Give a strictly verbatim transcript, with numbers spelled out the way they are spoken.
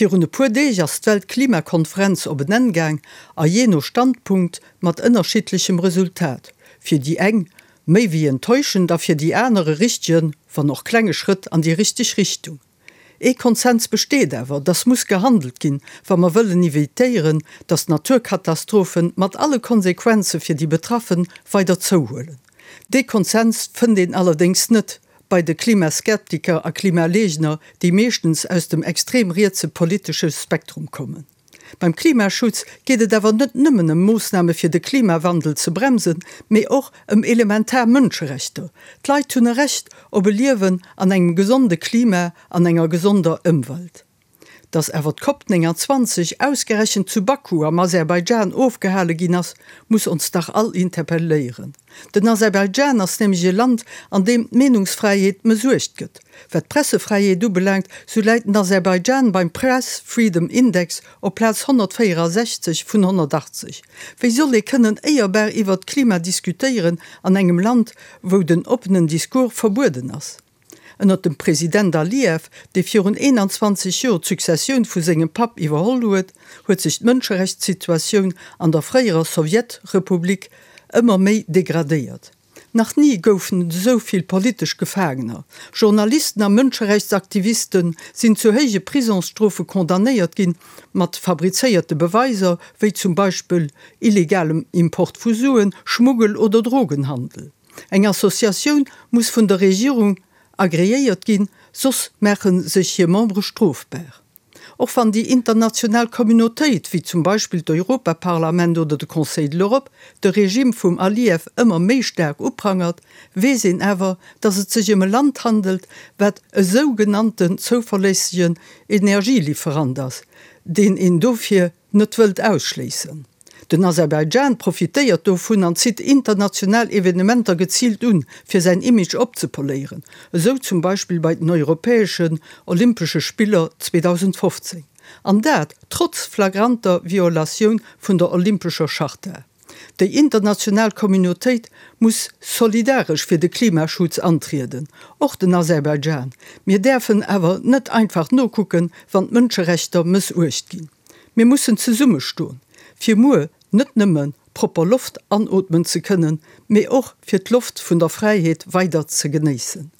Virun e puer Deeg ass d'Weltklimakonferenz op en Enn gaang, a jee no Standpunkt mat ënnerschiddlechem Resultat. Fir déi eng méi wéi enttäuschend a fir déi aner e richtegen, wann och klenge Schrëtt an déi richteg Richtung. Ee Konsens besteet awer, dass muss gehandelt ginn, wa mer wëllen evitéieren, dass d'Naturkatastrophen mat alle Konsequenze fir déi Betraffen weider zouhuelen. Dee Konsens fënnt een allerdéngs net bei de Klimaskeptiker a Klimaleegner, déi meeschtens aus dem extrem rietse politesche Spektrum kommen. Beim Klimaschutz geet et awer net nëmmen ëm Moossname fir de Klimawandel ze bremsen, mee och ëm elementar Mënscherechter. D'Leit hunn e Recht op e Liewen an engem gesonde Klima an enger gesonder Ëmwelt. Dass awer d'Cop neunundzwanzeg ausgerechent zu Baku am Aserbaidschan ofgehale ginn ass, muss ons dach all interpelléieren. Den Aserbaidschan ass nämlech e Land, an deem d'Meenungsfräiheet mëssuecht gëtt. Wat d'Pressefräiheet ubelaangt, sou läit den Aserbaidschan beim Press Freedom Index op Plaz honnertvéierasechzeg vun honnertachtzeg. Wéi soll ee kënnen éierbar iwwert d'Klima diskutéieren an engem Land, wou den oppenen Discours verbueden ass? Ënnert dem President Aliyev, dee virun eenanzwanzeg Joer d'Successioun vu sengem Papp iwwerholl huet, huet sech d'Mënscherechtssituatioun an der fréierer Sowjetrepublik ëmmer méi degradéiert. Nach ni goufen et esou vill politesch Gefaangener. Journalisten a Mënscherechtsaktiviste sinn zu héije Prisongsstrofe condamnéiert ginn, mat fabrizéierte Beweiser, wéi zum Beispill illegalem Import vu Suen, Schmuggel oder Drogenhandel. Eng Associatioun muss vun der Regierung agreéiert ginn, soss maache sech hir Membere strofbar. Och wann déi international Communautéit, wéi zum Beispill d'Europaparlament oder de Conseil de l'Europe, de Regime vum Aliyev ëmmer méi staark uprangert, weess een awer, datt et sech ëm e Land handelt, wat e sougenannten zouverléissegen Energieliferant ass, deen een dofir net wëllt ausschléissen. Den Aserbaidschan profitéiert dovun an zitt international Evenementer geziilt un, fir säin Image opzepoléieren, esou zum Beispill bei den Europäeschen Olympesche Spiller zweedausendfofzéng. An dat trotz flagranter Violatioun vun der Olympescher Charta. Déi international Communautéit muss solidaresch fir de Klimaschutz antrieden, och den Aserbaidschan. Mir däerfen awer net einfach nokucken, wann d'Mënscherechter mëssuecht ginn. Mir mussen zesummestoen, fir muer net nëmme propper Loft anootmen ze kënnen, mee och fir d'Loft vun der Fräiheet weider ze genéissen.